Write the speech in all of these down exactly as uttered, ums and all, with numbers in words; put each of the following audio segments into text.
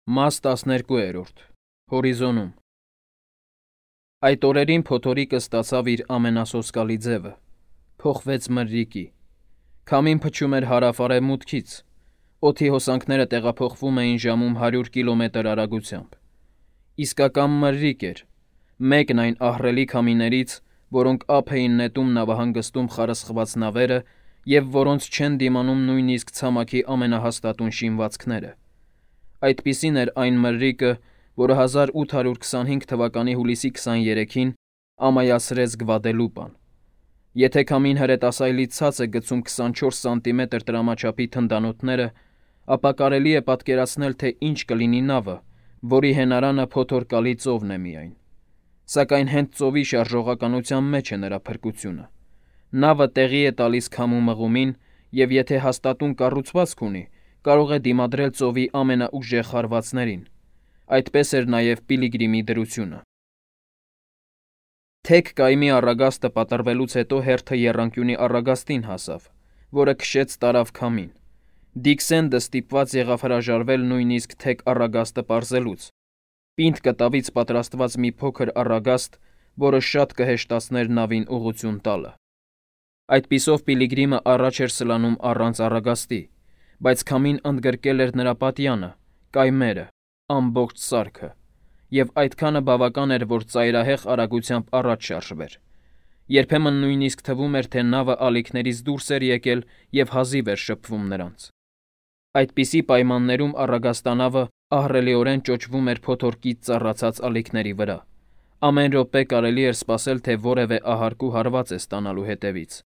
Մաս տասներկուերորդ Հորիզոնում Այդ օրերին փոթորիկը ստացավ իր ամենասոսկալի ձևը, փոխվեց մրրիկի, քամին փչում էր հարավ-արևմուտքից, օդի հոսանքները տեղափոխվում էին ժամում հարյուր կիլոմետր արագությամբ, իսկական մրրիկ էր, մեկն այն ահռելի քամիներից, որոնք ափ էին նետում նավահանգստում խարսխված նավերը և որոնց չեն դիմանում նույնիսկ ցամաքի ամենահաստատուն շինվածքները, այդպիսին էր այն մրրիկը, որը հազար ութ հարյուր քսանհինգ թվականի հուլիսի քսաներեքին ամայացրեց Գվադելուպան, եթե քամին հրետասայլից ցած է գցում քսանչորս սանտիմետր տրամաչափի թնդանոթները, ապա կարելի է պատկերացնել, թե ինչ կլինի նավը, որի հենարանը փոթորկալի ծովն է միայն, սակայն հենց ծովի շարժողականության մեջ է նրա փրկությունը, նավը տեղի է տալիս քամու մղումին և եթե հաստատուն կառուցվածք ունի, կարող է դիմադրել ծովի ամենաուժեղ հարվածներին, այդպես էր նաև Պիլիգրիմի դրությունը։ Թեք կայմի առագաստը պատռվելուց հետո հերթը եռանկյունի առագաստին հասավ, որը քշեց տարավ քամին։ Դիքսենդը ստիպված եղավ հրաժարվել նույնիսկ թեք առագաստը պարզելուց, պինդ կտավից պատրաստված մի փոքր առագաստ, որը շատ կհեշտացներ նավին ուղղություն տալը։ Այդպիսով Պիլիգրիմը առաջ էր սլանում առանց առագաստի, բայց քամին ընդգրկել էր նրա պատյանը, կայմերը, ամբողջ սարքը, և այդքանը բավական էր, որ ծայրահեղ արագությամբ առաջ շարժվեր։ Երբեմն նույնիսկ թվում էր, թե նավը ալիքներից դուրս էր եկել և հազիվ էր շփվում նրանց։ Այդպիսի պայմաններում առագաստանավը ահռելիորեն ճոճվում էր փոթորկից ծառացած ալիքների վրա։ Ամեն րոպե կարելի էր սպասել, թե որևէ ահարկու հարված է ստանալու հետևից։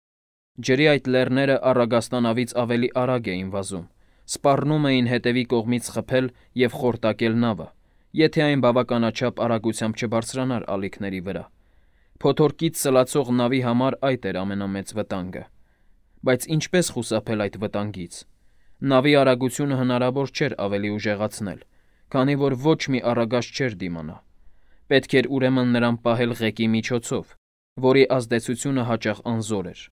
Ջրի այդ լեռները առագաստանավից ավելի արագ էին վազում, սպառնում էին հետևի կողմից խփել և խորտակել նավը, եթե այն բավականաչափ արագությամբ չբարձրանար ալիքների վրա։ Փոթորկից սլացող նավի համար այդ էր ամենամեծ վտանգը։ Բայց ինչպես խուսափել այդ վտանգից։ Նավի արագությունը հնարավոր չէր ավելի ուժեղացնել, քանի որ ոչ մի առագաստ չէր դիմանա։ Պետք էր ուրեմն նրան պահել ղեկի միջոցով, որի ազդեցությունը հաճախ անզոր էր։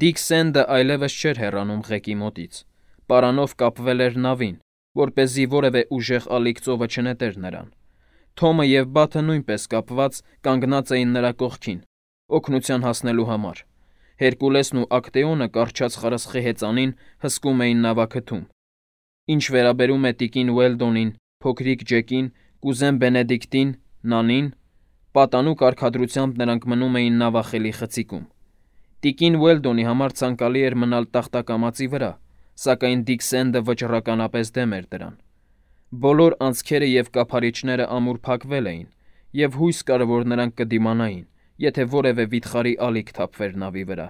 Դիքսենդը այլևս չէր հեռանում ղեկի մոտից, պարանով կապվել էր նավին, որպեսզի որևէ ուժեղ ալիք ծովը չնետեր նրան։ Թոմը և Բաթը նույնպես կապված կանգնած էին նրա կողքին, օգնության հասնելու համար։ Հերկուլեսն ու Ակտեոնը կառչած խրսխի հեծանին հսկում էին նավաքթում։ Ինչ վերաբերում է տիկին Ուելդոնին, փոքրիկ Ջեկին, կուզեն Բենեդիկտին, Նանին, պատանու կարգադրությամբ նրանք մնում էին նավախելի խցիկում։ Տիկին Ուելդոնի համար ցանկալի էր մնալ տախտակամածի վրա, սակայն Դիքսենդը վճռականապես դեմ էր դրան։ Բոլոր անցքերը և կափարիչները ամուր փակվել էին, և հույս կար, որ նրանք կդիմանային, եթե որևէ վիթխարի ալիք թափվեր նավի վրա։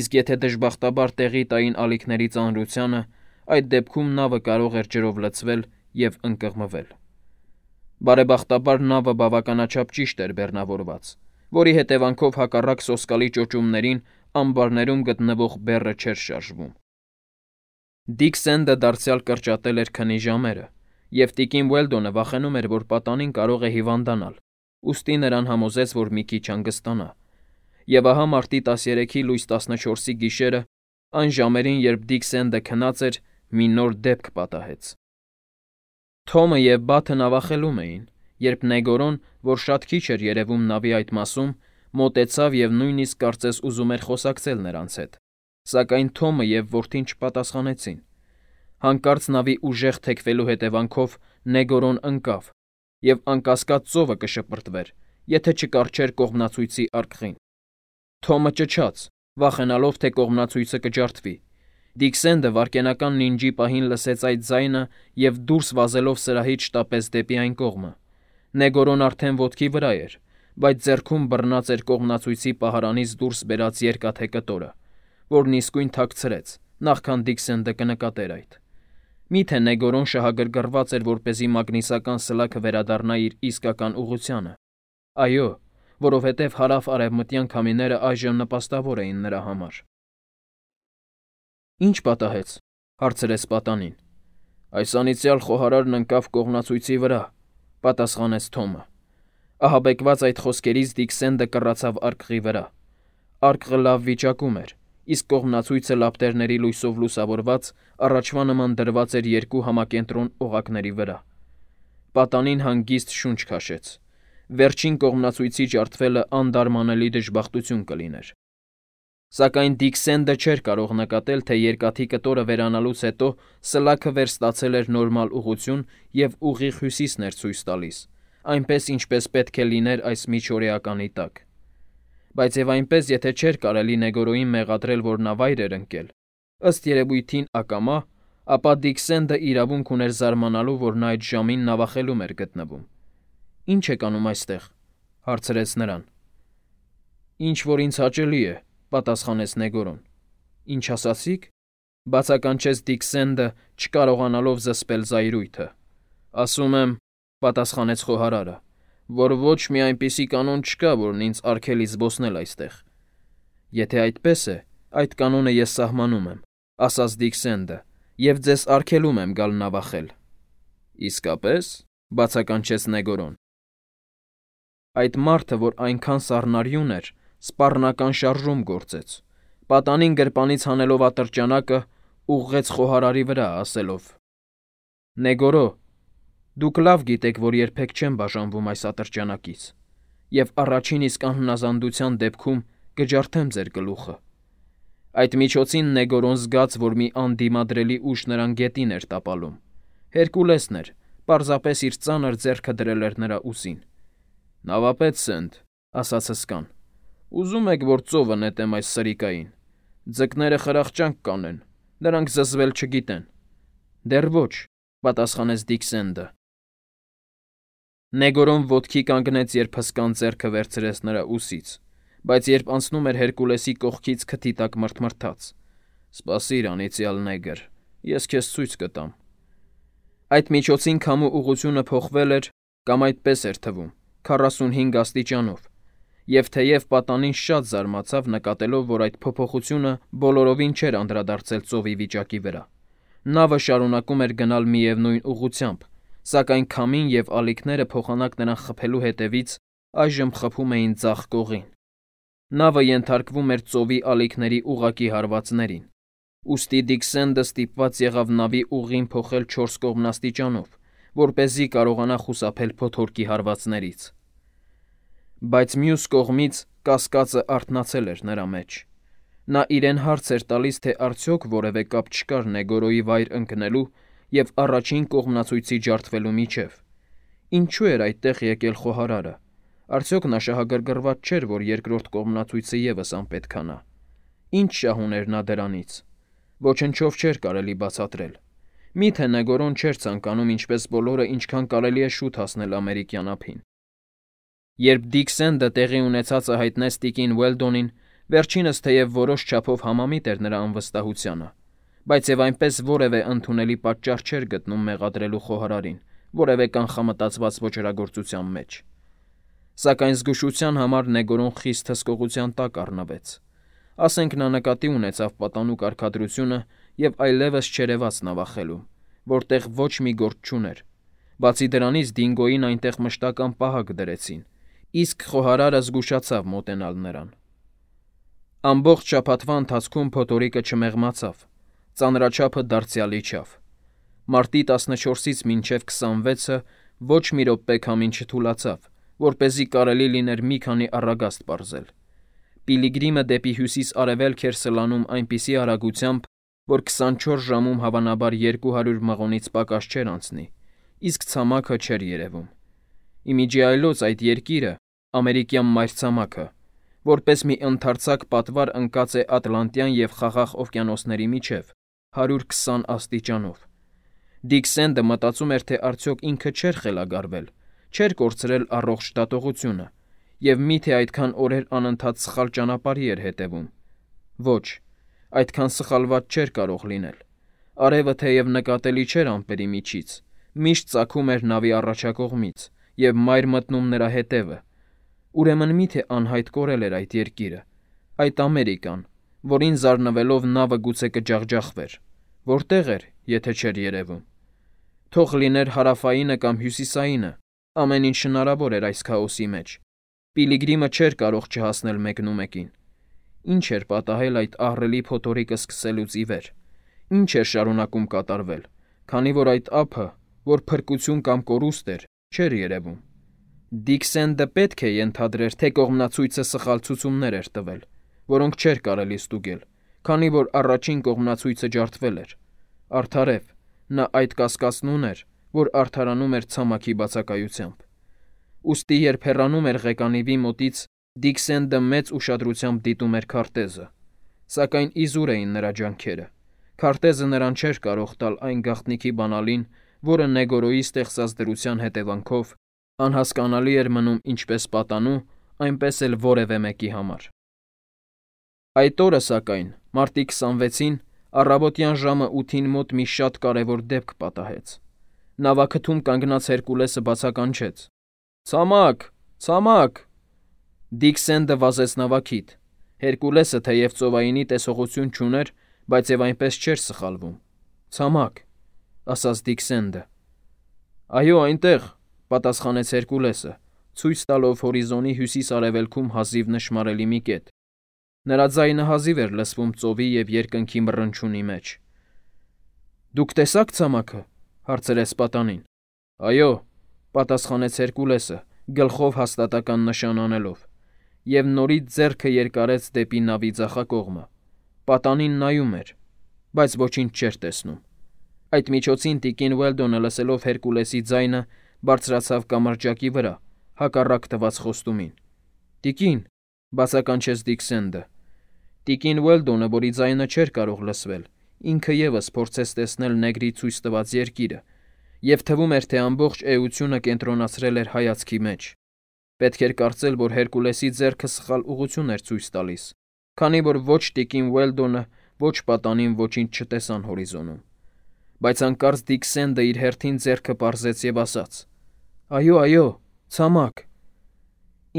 Իսկ եթե դժբախտաբար տեղի տային ալիքների ծանրությանը, այդ դեպքում նավը կարող էր ջրով լցվել և ընկղմվել։ Բարեբախտաբար նավը բավականաչափ ճիշտ էր բեռնավորված, որի հետևանքով հակառակ սոսկալի ճոճումներին ամբարներում գտնվող բեռը չէր շարժվում։ Դիքսենդը դարձյալ կրճատել էր քնի ժամերը, և տիկին Ուելդոնը վախենում էր, որ պատանին կարող է հիվանդանալ, ուստի նրան համոզեց, որ մի քիչ հանգստանա։ Եվ ահա մարտի տասներեքի լույս տասնչորսի գիշերը, այն ժամերին, երբ Դիքսենդը քնած էր, մի նոր դեպք պատահեց։ Թոմը և Բաթը նավախելում էին, երբ Նեգորոն, որ շատ քիչ էր երևում նավի այդ մասում, մոտեցավ և նույնիսկ կարծես ուզում էր խոսակցել նրանց հետ, սակայն Թոմը և որդին չպատասխանեցին։ Հանկարծ նավի ուժեղ թեքվելու հետևանքով Նեգորոն ընկավ, և անկասկած ծովը կշպրտվեր, եթե չկառչեր կողմնացույցի արկղին։ Թոմը ճչաց, վախենալով, թե կողմնացույցը կջարդվի։ Դիքսենդը վայրկենական նինջի պահին լսեց այդ ձայնը և դուրս վազելով սրահից շտապեց դեպի այն կողմը։ Նեգորոն արդեն ոտքի վրա էր, բայց ձեռքում բռնած էր կողմնացույցի պահարանից դուրս բերած երկաթե կտորը, որն իսկույն թաքցրեց, նախքան Դիքսենդը կնկատեր այդ։ Միթե Նեգորոն շահագրգռված էր, որպեսզի մագնիսական սլաքը վերադառնա իր իսկական ուղղությանը։ Այո, որովհետև հարավ-արևմտյան քամիները այժմ նպաստավոր էին նրա համար։ Ինչ պատահեց, հարցրեց պատանին։ Այս անիծյալ խոհարարն ընկավ կողմնացույցի վրա, պատասխանեց Թոմը։ Ահաբեկված այդ խոսքերից Դիքսենդը կռացավ արկղի վրա։ Արկղը լավ վիճակում էր, իսկ կողմնացույցը լապտերների լույսով լուսավորված առաջվա նման դրված էր երկու համակենտրոն օղակների վրա։ Պատանին հանգիստ շունչ քաշեց։ Վերջին կողմնացույցի ջարդվելը անդարմանելի դժբախտություն կլիներ։ Սակայն Դիքսենդը չէր կարող նկատել, թե երկաթի կտորը վերանալուց հետո սլաքը վերստացել էր նորմալ ուղղություն և ուղիղ հյուսիսն էր ցույց տալիս, այնպես ինչպես պետք է լիներ այս միջօրեականի տակ։ Բայց և այնպես, եթե չէր կարելի Նեգորոյին մեղադրել, որ նա վայր էր ընկել, ըստ երևույթին ակամա, ապա Դիքսենդը իրավունք ուներ զարմանալու, որ նա այդ ժամին նավախելում էր գտնվում։ «Ի՞նչ եք անում այստեղ», հարցրեց նրան։ «Ինչ որ ինձ հաճելի է», պատասխանեց Նեգորոն։ «Ինչ ասացիք», բացականչեց Դիքսենդը, չկարողանալով զսպել զայրույթը։ «Ասում եմ», պատասխանեց խոհարարը, «որ ոչ մի այնպիսի կանոն չկա, որն ինձ արգելի զբոսնել այստեղ»։ «Եթե այդպես է, այդ կանոնը ես սահմանում եմ», ասաց Դիքսենդը, «և ձեզ արգելում եմ գալ նավախել»։ «Իսկապես», բացականչեց Նեգորոն։ Այդ մարդը, որ այնքան սառնարյուն էր, սպառնական շարժում գործեց, պատանին գրպանից հանելով ատրճանակը, ուղղեց խոհարարի վրա, ասելով. «Նեգորո, դուք լավ գիտեք, որ երբեք չեմ բաժանվում այս ատրճանակից, և առաջին իսկ անհնազանդության դեպքում կջարդեմ ձեր գլուխը»։ Այդ միջոցին Նեգորոն զգաց, որ մի անդիմադրելի ուժ նրան գետին էր տապալում։ Հերկուլեսն էր, պարզապես իր ծանր ձեռքը դրել էր նրա ուսին։ «Նավապետ Սենդ», ասաց հսկան, «ուզում եք, որ ծովը նետեմ այս սրիկային։ Ձկները խրախճանք կանեն, նրանք զզվել չգիտեն»։ «Դեռ ոչ», պատասխանեց Դիքսենդը։ Նեգորոն ոտքի կանգնեց, երբ հսկան ձեռքը վերցրեց նրա ուսից, բայց երբ անցնում էր Հերկուլեսի կողքից քթի տակ մռթմռթաց. «Սպասիր, անիծյալ նեգր, ես քեզ ցույց կտամ»։ Այդ միջոցին քամու ուղղությունը փոխվել էր, կամ այդպես էր թվում, քառասունհինգ աստիճանով, և թեև պատանին շատ զարմացավ, նկատելով, որ այդ փոփոխությունը բոլորովին չէր անդրադարձել ծովի վիճակի վրա։ Նավը շարունակում էր գնալ միևնույն ուղղությամբ, սակայն քամին և ալիքները փոխանակ նրան խփելու հետևից այժմ խփում էին ձախ կողին։ Նավը ենթարկվում էր ծովի ալիքների ուղղակի հարվածներին, ուստի Դիքսենդը ստիպված եղավ նավի ուղին փոխել չորս կողմնաստիճանով, որպեսզի կարողանա խուսափել փոթորկի հարվածներից։ Բայց մյուս կողմից կասկածը արթնացել էր նրա մեջ։ Նա իրեն հարց էր տալիս, թե արդյոք որևէ կապ չկար Նեգորոյի վայր ընկնելու և առաջին կողմնացույցի ջարդվելու միջև։ Ինչու էր այդտեղ եկել խոհարարը։ Արդյոք նա շահագրգռված չէր, որ երկրորդ կողմնացույցը ևս անպետքանա։ Ինչ շահ ուներ նա դրանից։ Ոչնչով չէր կարելի բացատրել։ Միթե Նեգորոն չէր ցանկանում, ինչպես բոլորը, ինչքան կարելի է շուտ հասնել ամերիկյան ափին։ Երբ Դիքսենդը տեղի ունեցածը հայտնեց տիկին Ուելդոնին, վերջինս թեև որոշ չափով համամիտ էր նրա անվստահությանը, բայց և այնպես որևէ ընդունելի պատճառ չէր գտնում մեղադրելու խոհարարին որևէ կանխամտածված ոճրագործության մեջ։ Սակայն զգուշության համար Նեգորոն խիստ հսկողության տակ առնվեց։ Ասենք նա նկատի ունեցավ պատանու կարգադրությունը և այլևս չերևաց նավախելում, որտեղ ոչ մի գործ չուներ։ Բացի դրանից Դինգոյին այնտեղ մշտական պահակ դրեցին, իսկ խոհարարը զգուշացավ մոտենալ նրան։ Ամբողջ շաբաթվա ընթացքում փոթորիկը չմեղմացավ, ծանրաչափը դարձյալ իջավ։ Մարտի տասնչորսից մինչև քսանվեցը ոչ մի րոպե քամին չթուլացավ, որպեսզի կարելի լիներ մի քանի առագաստ պարզել։ Պիլիգրիմը դեպի հյուսիս-արևելք էր սլանում այնպիսի արագությամբ, որ քսանչորս ժամում հավանաբար երկու հարյուր մղոնից պակաս չէր անցնի, իսկ ցամաքը չէր երևում։ Իմիջիայլոց այդ երկիրը, ամերիկյան մայրցամաքը, որպես մի ընդարձակ պատվար ընկած է Ատլանտյան և Խաղաղ օվկիանոսների միջև, հարյուր քսան աստիճանով։ Դիքսենդը մտածում էր, թե արդյոք ինքը չէր խելագարվել, չէր կորցրել առողջ դատողությունը, և միթե այդքան օրեր անընդհատ սխալ ճանապարհի էր հետևում։ Ոչ, այդքան սխալված չէր կարող լինել։ Արևը թեև նկատելի չէր ամպերի միջից, միշտ ծագում էր նավի առաջակողմից և մայր մտնում նրա հետևը։ Ուրեմն միթե անհայտ կորել էր այդ երկիրը, այդ Ամերիկան, որին զարնվելով նավը գուցե կջախջախվեր։ Որտեղ էր, եթե չէր երևում։ Թող լիներ հարավայինը կամ հյուսիսայինը, ամեն ինչ հնարավոր էր այս քաոսի մեջ։ Պիլիգրիմը չէր կարող չհասնել մեկնումեկին։ Ինչ էր պատահել այդ ահռելի փոթորիկը սկսելուց ի վեր։ Ինչ էր շարունակում կատարվել, քանի որ այդ ափը, որ փրկություն կամ կորուստ էր, չէր երևում։ Դիքսենդը պետք է ենթադրեր, թե կողմնացույցը սխալ ցուցումներ էր տվել, որոնք չէր կարելի ստուգել, քանի որ առաջին կողմնացույցը ջարդվել էր։ Արդարև, նա այդ կասկածն ուներ, որ արդարանում էր ցամաքի բացակայությամբ։ Ուստի երբ հեռանում էր ղեկանիվի մոտից, Դիքսենդը մեծ ուշադրությամբ դիտում էր քարտեզը, սակայն իզուր էին նրա ջանքերը։ Քարտեզը նրան չէր կարող տալ այն գաղտնիքի բանալին, որը Նեգորոյի ստեղծած դրության հետևանքով անհասկանալի էր մնում ինչպես պատանու, այնպես էլ որևէ մեկի համար։ Այդ օրը, սակայն, մարտի քսանվեցին, առավոտյան ժամը ութին մոտ մի շատ կարևոր դեպք պատահեց։ Նավաքթում կանգնած Հերկուլեսը բացականչեց. «Ցամաք, ցամաք»։ Դիքսենդը վազեց նավակիդ։ Հերկուլեսը թեև ծովայինի տեսողություն չուներ, բայց եւ այնպես չէր սխալվում։ «Ցամաք», ասաց Դիքսենդը։ «Այո, այնտեղ», պատասխանեց Հերկուլեսը, ցույց տալով հորիզոնի հյուսիս-արևելքում հազիվ նշմարելի մի կետ։ Նրա ձայնը հազիվ էր լսվում ծովի եւ երկնքի մռնչյունի մեջ։ «Դուք տեսա՞ք ցամաքը», հարցրեց պատանին։ «Այո», պատասխանեց Հերկուլեսը, գլխով հաստատական նշան անելով, եւ նորից ձեռքը երկարեց դեպի նավի ձախակողմը։ Պատանին նայում էր, բայց ոչինչ չէր տեսնում։ Այդ միջոցին տիկին Ուելդոնը, լսելով Հերկուլեսի ձայնը, բարձրացավ կամրջակի վրա, հակառակ տված խոստումին։ «Տիկին», բացականչեց Դիքսենդը։ Տիկին Ուելդոնը, որի ձայնը չէր կարող լսվել, ինքը ևս փորձեց տեսնել նեգրի ցույց տված երկիրը, եւ թվում էր, թե ամբողջ էությունը կենտրոնացրել էր հայացքի մեջ։ Պետք էր կարծել, որ Հերկուլեսի ձեռքը սխալ ուղղություն էր ցույց տալիս, քանի որ ոչ տիկին Ուելդոնը, ոչ պատանին ոչինչ չտեսան հորիզոնում։ Բայց հանկարծ Դիքսենդը իր հերթին ձեռքը պարզեց եւ ասաց. «Այո, այո, ցամաք»։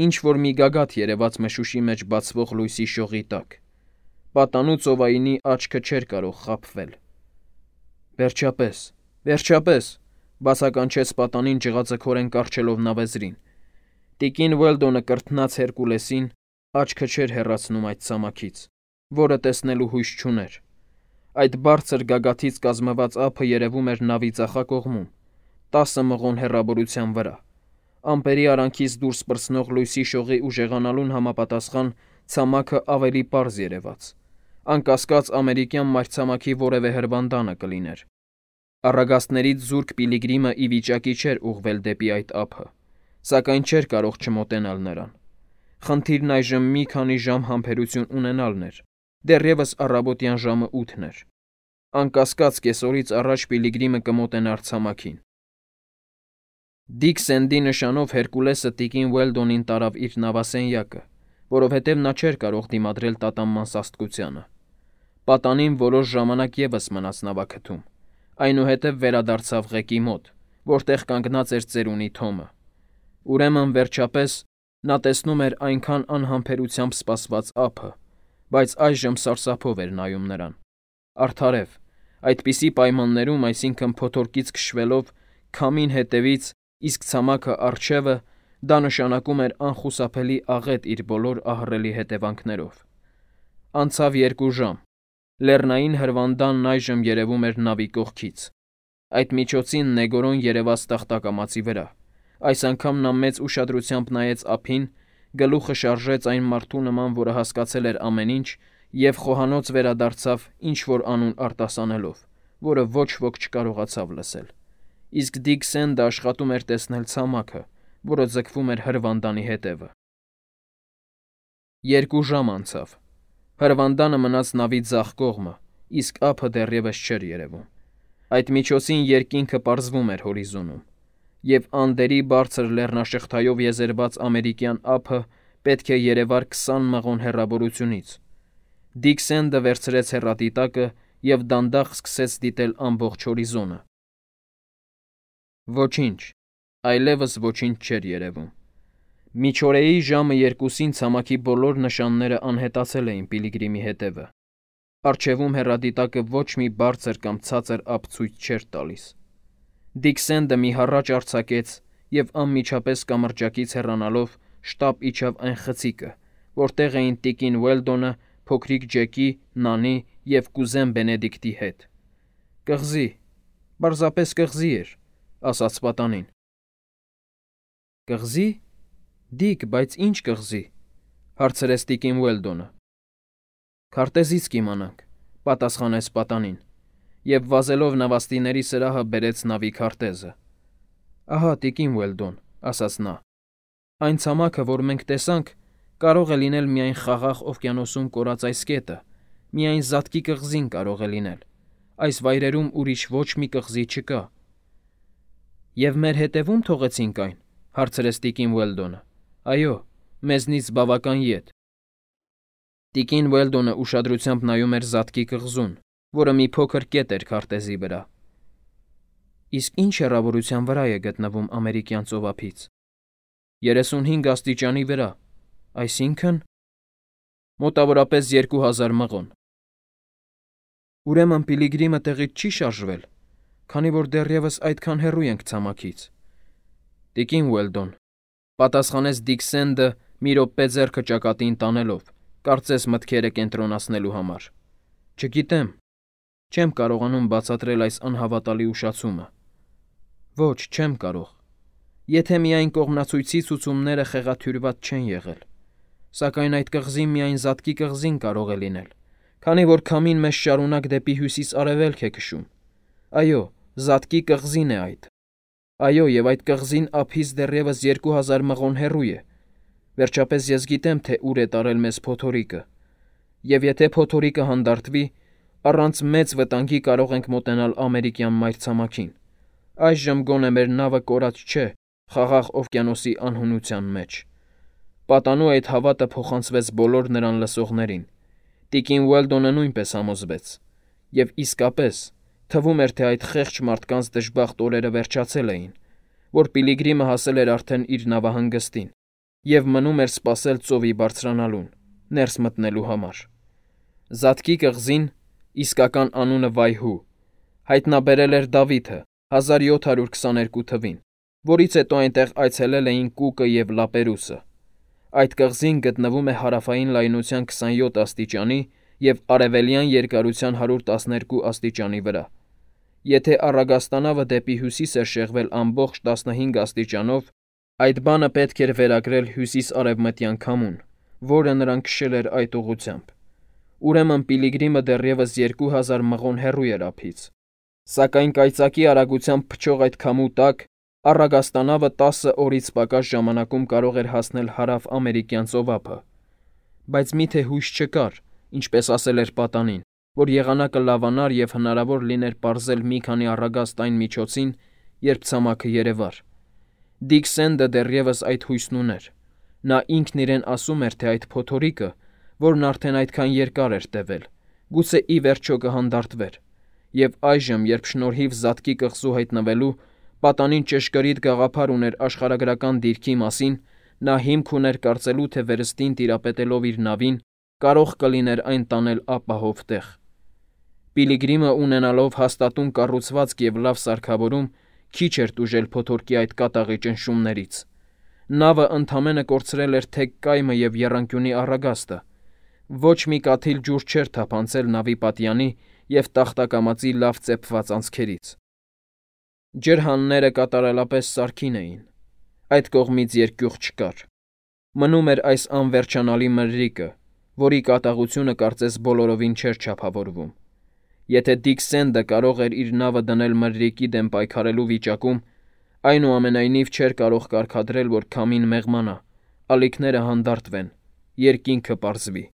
Ինչ որ մի գագաթ երևաց մշուշի մեջ բացվող լույսի շողի տակ։ Պատանու ծովայինի աչքը չէր կարող խաբվել։ «Վերջապես, վերջապես», բացականչեց պատանին ջղաձգորեն կառչելով նավեզրին։ Տիկին Ուելդոնը կրթնած Հերկուլեսին աչքը չէր հեռացնում այդ ցամաքից, որը տեսնելու հույս չուներ։ Այդ բարձր գագաթից կազմված ափը երևում էր նավի ձախակողմում, տասը մղոն հեռավորության վրա։ Ամպերի արանքից դուրս պրծնող լույսի շողի ուժեղանալուն համապատասխան ցամաքը ավելի պարզ երևաց։ Անկասկած ամերիկյան մայրցամաքի որևէ հրվանդանը կլիներ։ Առագաստներից զուրկ Պիլիգրիմը ի վիճակի չէր ուղղվել դեպի այդ ափը, սակայն չէր կարող չմոտենալ նրան։ Խնդիրն այժմ մի քանի ժամ համբերություն ունենալն էր։ Դեռևս առավոտյան ժամը ութն էր։ Անկասկած կեսօրից առաջ Պիլիգրիմը կմոտենար ցամաքին։ Դիքսենդի նշանով Հերկուլեսը տիկին Ուելդոնին տարավ իր նավասենյակը, որովհետև նա չէր կարող դիմադրել տատանման սաստկությանը։ Պատանին որոշ ժամանակ ևս մնաց նավաքթում, այնուհետև վերադարձավ ղեկի մոտ, որտեղ կանգնած էր ծերունի Թոմը։ Ուրեմն վերջապես նա տեսնում էր այնքան անհամբերությամբ սպասված ափը, բայց այժմ սարսափով էր նայում նրան։ Արդարև, այդպիսի պայմաններում, այսինքն փոթորկից քշվելով քամին հետևից, իսկ ցամաքը առջևը, դա նշանակում էր անխուսափելի աղետ իր բոլոր ահռելի հետևանքներով։ Անցավ երկու ժամ։ Լեռնային հրվանդանն այժմ երևում էր նավի կողքից։ Այդ միջոցին Նեգորոն երևաց տախտակամածի վրա։ Այս անգամ նա մեծ ուշադրությամբ նայեց ափին, գլուխը շարժեց այն մարդու նման, որը հասկացել էր ամեն ինչ, եւ խոհանոց վերադարձավ ինչ-որ անուն արտասանելով, որը ոչ ոք չկարողացավ լսել։ Իսկ Դիքսենդը աշխատում էր տեսնել ցամաքը, որը ձգվում էր հրվանդանի հետևը։ Երկու ժամ անցավ։ Հրվանդանը մնաց նավի ձախ կողմը, իսկ ափը դեռևս չէր երևում։ Այդ միջոցին երկինքը պարզվում էր հորիզոնում, եւ Անդերի բարձր լեռնաշղթայով եզերված ամերիկյան ափը պետք է երևար քսան մղոն հեռավորությունից։ Դիքսենդը վերցրեց հեռադիտակը եւ դանդաղ սկսեց դիտել ամբողջ հորիզոնը։ Ոչինչ, այլևս ոչինչ չէր երևում։ Միջօրեի ժամը երկուսին ցամաքի բոլոր նշանները անհետացել էին Պիլիգրիմի հետևը։ Առջևում հեռադիտակը ոչ մի բարձր կամ ցածր ափ ցույց չէր տալիս։ Դիքսենդը մի հառաչ արձակեց եւ անմիջապես կամրջակից հեռանալով շտապ իջավ այն խցիկը, որտեղ էին տիկին Ուելդոնը, փոքրիկ Ջեկի, Նանի և կուզեն Բենեդիկտի հետ։ Կղզի, պարզապես կղզի էր, ասաց պատանին։ Կղզի, Դիկ, բայց ինչ կղզի, հարցրեց տիկին Ուելդոնը։ Քարտեզից կիմանանք, պատասխանեց պատանին, և վազելով նավաստիների սրահը բերեց նավի քարտեզը։ Ահա, տիկին Ուելդոն, ասաց նա, այն ցամաքը, որ մենք տեսանք, կարող է լինել միայն Խաղաղ օվկիանոսում կորած այս կետը, միայն Զատկի կղզին կարող է լինել, այս վայրերում ուրիշ ոչ մի կղզի չկա։ Եվ մեր հետևում թողեցինք այն, հարցրեց տիկին Ուելդոնը։ Այո, մեզնից բավական ետ։ Տիկին Ուելդոնը ուշադրությամբ նայում էր Զատկի կղզուն, որը մի փոքր կետ էր քարտեզի վրա։ Իսկ ինչ հեռավորության վրա է գտնվում ամերիկյան ծովափից։ երեսունհինգ աստիճանի վրա, այսինքն… Մոտավորապես երկու հազար մղոն։ Ուրեմն Պիլիգրիմը տեղից չի շարժվել, քանի որ դեռևս այդքան հեռու ենք ցամաքից։ Տիկին Ուելդոն, պատասխանեց Դիկ Սենդը մի րոպե ձեռքը ճակատին տանելով, կարծես մտքերը կենտրոնացնելու համար։ Չգիտեմ, չեմ կարողանում բացատրել այս անհավատալի ուշացումը։ Ոչ, չեմ կարող։ Եթե միայն կողմնացույցի ցուցումները խեղաթյուրված չեն եղել։ Սակայն այդ կղզին միայն Զատկի կղզին կարող է լինել, քանի որ քամին մեզ շարունակ դեպի հյուսիս-արևելք է քշում։ Այո, Զատկի կղզին է այդ։ Այո, և այդ կղզին ափից դեռևս երկու հազար մղոն հեռու է։ Վերջապես ես գիտեմ, թե ուր է տարել մեզ փոթորիկը։ Եվ եթե փոթորիկը հանդարտվի, առանց մեծ վտանգի կարող ենք մոտենալ ամերիկյան մայրցամաքին։ Այժմ գոնե մեր նավը կորած չէ Խաղաղ օվկիանոսի անհունության մեջ։ Պատանու այդ հավատը փոխանցվեց բոլոր նրան լսողներին։ Տիկին Ուելդոնը նույնպես համոզվեց։ Եվ իսկապես, թվում էր, թե այդ խեղճ մարդկանց դժբախտ օրերը վերջացել էին, որ Պիլիգրիմը հասել էր արդեն իր նավահանգստին և մնում էր սպասել ծովի բարձրանալուն, ներս մտնելու համար։ Զատկի կղզին, իսկական անունը Վայհու, հայտնաբերել էր Դավիթը հազար յոթ հարյուր քսաներկու թվին, որից հետո այնտեղ այցելել էին Կուկը և Լապերուսը։ Այդ կղզին գտնվում է հարավային լայնության քսանյոթ աստիճանի և արևելյան երկարության հարյուր տասներկու աստիճանի վրա։ Եթե առագաստանավը դեպի հյուսիս էր շեղվել ամբողջ տասնհինգ աստիճանով, այդ բանը պետք էր վերագրել հյուսիս-արևմտյան քամուն, որը նրան քշել էր այդ ուղղությամբ։ Ուրեմն Պիլիգրիմը դեռևս երկու հազար մղոն հեռու էր ափից։ Սակայն կայծակի արագությամբ փչող այդ քամու տակ առագաստանավը տասը օրից պակաս ժամանակում կարող էր հասնել հարավ-ամերիկյան ծովափը։ Բայց միթե հույս չկար, ինչպես ասել էր պատանին, որ եղանակը լավանար և հնարավոր լիներ պարզել մի քանի առագաստ այն միջոցին, երբ ցամաքը երևար։ Դիկ Սենդը դեռևս այդ հույսն ուներ։ Նա ինքն իրեն ասում էր, թե այդ փոթորիկը, որն արդեն այդքան երկար էր տևել, գուցե ի վերջո կհանդարտվեր։ Եվ այժմ, երբ շնորհիվ Զատկի կղզու հայտնվելու պատանին ճշգրիտ գաղափար ուներ աշխարհագրական դիրքի մասին, նա հիմք ուներ կարծելու, թե վերստին տիրապետելով իր նավին, կարող կլիներ այն տանել ապահով տեղ։ Պիլիգրիմը ունենալով հաստատուն կառուցվածք և լավ սարքավորում, քիչ էր տուժել փոթորկի այդ կատաղի ճնշումներից։ Նավը ընդամենը կորցրել էր թեք կայմը և եռանկյունի առագաստը։ Ոչ մի կաթիլ ջուր չէր թափանցել նավի պատյանի և տախտակամածի լավ ծեփված անցքերից։ Ջրհանները կատարելապես սարքին էին։ Այդ կողմից երկյուղ չկար։ Մնում էր այս անվերջանալի մրրիկը, որի կատաղությունը կարծես բոլորովին չէր չափավորվում։ Եթե Դիկ Սենդը կարող էր իր նավը դնել մրրիկի դեմ պայքարելու վիճակում, այնուամենայնիվ չէր կարող կարգադրել, որ քամին մեղմանա, ալիքները հանդարտվեն, երկինքը պարզվի։